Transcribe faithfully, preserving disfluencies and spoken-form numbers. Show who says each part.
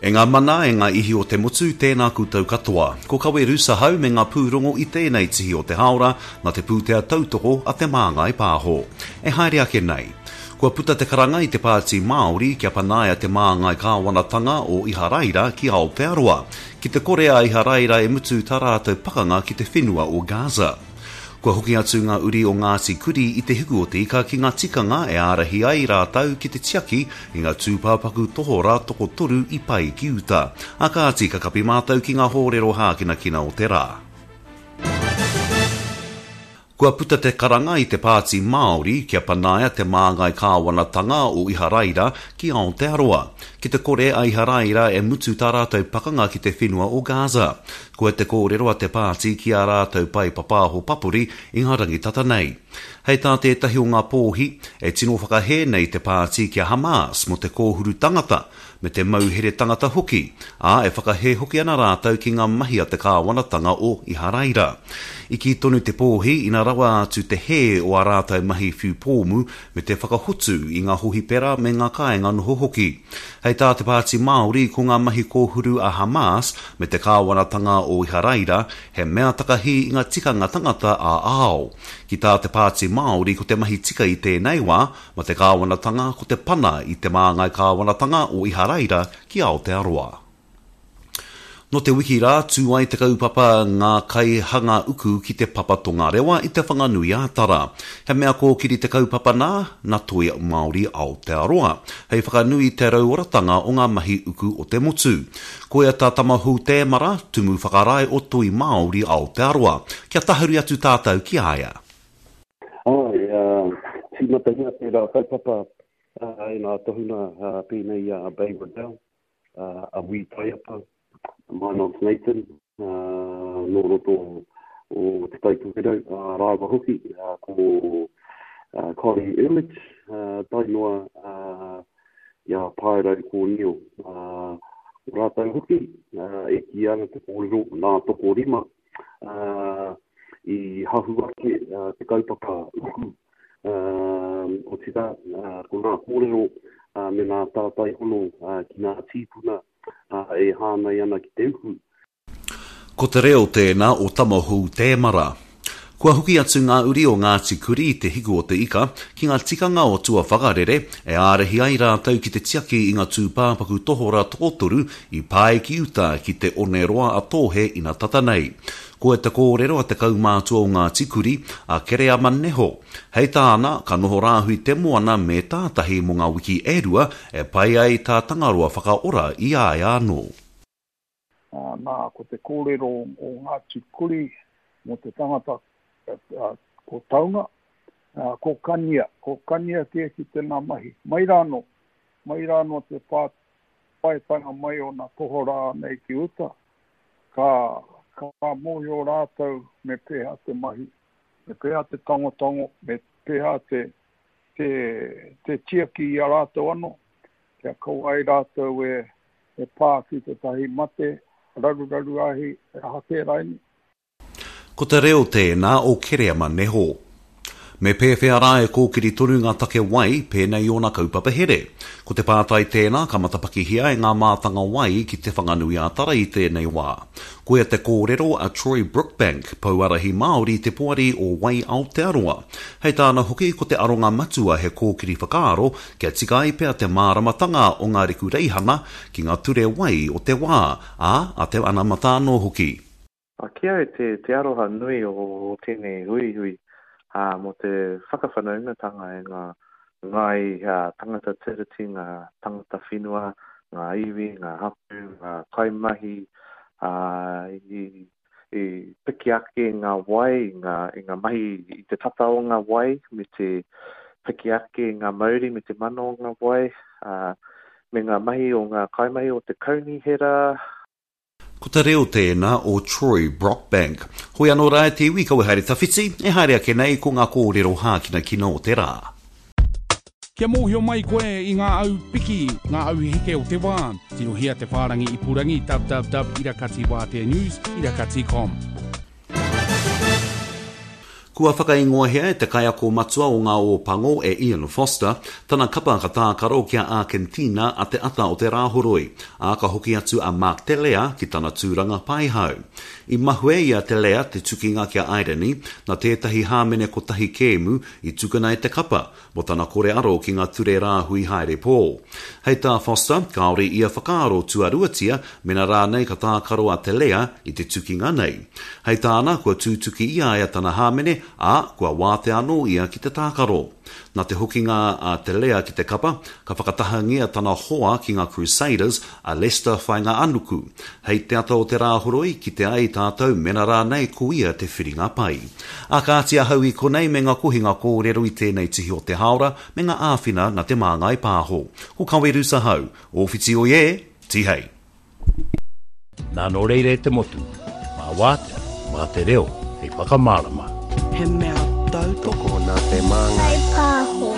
Speaker 1: E ngā mana, e ngā ihi o te motu, tēnā koutou katoa. Ko Kawe Rusahau me ngā pūrongo i tēnei tihi o te hāora nā te pūtea tautoko a Te Māngai Pāho. E haere ake nei. Kua puta te karanga i te Pāti Māori kia panaia te māngai kāwanatanga o Iharaira ki Aotearoa, ki te kore a Iharaira e mutu tā rātou pakanga ki te whenua o Gaza. Kua hoki atu ngā uri o Ngāti Kuri i te hiku o te ika ki ngā tikanga e ārahi ai rātou ki te tiaki i ngā tūpāpaku tohorā tokotoru i pae ki uta. A kāti ka kapi mātou ki ngā hōrero hākinakina o te rā. Kua puta te karanga i te Pāti Māori kia panaia te māngai kāwanatanga o Iharaira ki Aotearoa, ki te kore a Iharaira e mutu tā rātou pakanga ki te whenua o Gaza. Koia te kōrero a te pāti ki ā rātou pae papāho papori i ngā rangi tata nei. Hei tā tētahi o ngā pōhi, e tino whakahē nei te pāti ki a Hamas mō te kōhuru tangata, me te mauhere tangata hoki, ā, e whakahē hoki ana rātou ki ngā mahi a te kāwanatanga o Iharaira. I kī tonu te pōhi ina rawa atu te hē o ā rātou mahi whiu pōmu me te whakahotu i ngā hohipera me ngā kāinga noho hoki. Hei tā te Pāti Māori ko ngā mahi kōhuru a Hamas me te kāwanatanga o Iharaira he mea takahi i ngā tikanga tangata ā-ao. Ki tā te Pāti Māori ko te mahi tika i tēnei wā ma te kāwanatanga ko te pana i te māngai kāwanatanga o Iharaira ki Aotearoa. Nō te wiki rā, tū ai te kaupapa Ngā Kaihanga Uku ki Te Papa Tongarewa i Te Whanganui-a-Tara. He mea kōkiri te kaupapa nā, nā Toi Māori Aotearoa, hei whakanui i te rauoratanga o ngā mahi uku o te motu. Koia tā Tamahou Tēmara, Tumu Whakarae o Toi Māori Aotearoa. Kia tahuri atu tātou ki a ia.
Speaker 2: Āe, tīmatahia tērā kaupapa e ngā tohunga pēnei i a Bay Riddell, a Wī Taiapa, Minot Nathan, nō roto o Te Tai Tokerau, rāua hoki ko Connie Erlich, tae noa i a Paerau Kōnio. Ko rātou hoki, e kīia ana te kōrero nā tokorima i hahu ake te kaupapa uku, otirā, ko ngā kōrero me ngā tātai hono ki ngā tīpuna e hāngai ana ki te uku.
Speaker 1: Ko te reo tēnā o Tamahou Tēmara. Kua hoki atu ngā uri o Ngāti Kuri i te hiku o te ika ki ngā tikanga o tua whakarere e ārahi ai rātou ki te tiaki i ngā tūpāpaku tohorā tokotoru i pae ki uta ki te oneroa a Tōhe ina tata nei. Koia te kōrero a te kaumātua o Ngāti Kuri, a Kereama Neho. Hei tāna, ka noho rāhui te moana me tātahi mō ngā wiki e rua e pai ai tā Tangaroa whakaora i a ia anō.
Speaker 3: Nā, ko te kōrero o Ngāti Kuri mō te tangata ko Taunga, ko Kania, ko Kania kē ki tēnā mahi. Mai rānō, mai rānō te pā paetanga mai o nā tohorā nei ki uta, ka, ka mōhio rātou me pēhea te mahi, me pēhea te tangotango, me pēhea te, te, te tiaki i a rātou anō, kia kaua ai rātou e, e pā ki tētahi mate, raruraru ahi, e aha kē raini.
Speaker 1: Ko te reo tēnā o Kereama Neho. Me pēwhea rā e kōkiri tonu ngā take wai, pēnei i ōna kaupapa here? Ko te pātai tēnā ka matapakihia e ngā mātanga wai ki Te Whanganui-ā-Tara i tēnei wā. Koia te kōrero a Troy Brookbank, Pouarahi Māori Te Poari o Wai Aotearoa. Hei tāna hoki ko te aronga matua he kōkiri whakaaro kia tika ai pea te māramatanga o ngā rekureihana ki ngā ture wai o te wā, ā, a te anamata anō hoki.
Speaker 4: Ki au te, te aroha nui o tēnei huihui mō te whakawhanaungatanga e ngā ngāi tangata tiriti, ngā tangata whenua, ngā iwi, ngā hapū, ngā kaimahi i, i piki ake ngā wai, i ngā, i ngā mahi i te tata o ngā wai, me te piki ake ngā mauri me te mana o ngā wai, me ngā mahi o ngā kaimahi o te kaunihera.
Speaker 1: Ko te reo tēnā o Troy Brockbank. Hoi anō rā e te iwi kaua haere tawhiti, e haere ake nei ko ngā kōrero hākinakina o te rā.
Speaker 5: Kia mōhio mai koe i ngā au piki, ngā au heke o te wā, tirohia te whārangi ipurangi www irakati wātea news irakati com.
Speaker 1: Kua whakaingoahia e te kaiako matua o ngā Ōpango e Ian Foster tana kapa ka tākaro ki a Ākentina a te ata o te Rāhoroi, ā, ka hoki atu a Mark Telea ki tana tūranga paihau. I mahue i a Telea te tukinga ki a Airani nā tētahi hāmene kotahi kēmu i tukuna e te kapa mō tana kore aro ki ngā ture rāhui haere pō. Hei tā Foster, kāore ia whakaaro tuaruatia mena rānei ka tākaro a Telea i te tukinga nei. Hei tāna, kua tūtuki i a ia tana hāmene, ā, kua wātea anō ia ki te tākaro. Nā te hokinga a Telea ki te kapa, ka whakatahangia tana hoa ki ngā Crusaders, a Leicester Fainga'anuku. Hei te ata o te Rāhoroi, kite ai tātou mena rānei ko ia te whiringa pai. Ā kāti ahau i konei me ngā kohinga kōrero i tēnei tihi o te hāora me ngā āwhina nā Te Māngai Pāho. Ko Kawerusa Hau, Ōwhiti oi e, Tihei!
Speaker 6: Nā nō reira e te motu, mā wātea, mā te reo hei whakamārama.
Speaker 7: He mea tautoko
Speaker 8: nā Te Māngai
Speaker 9: Pāho.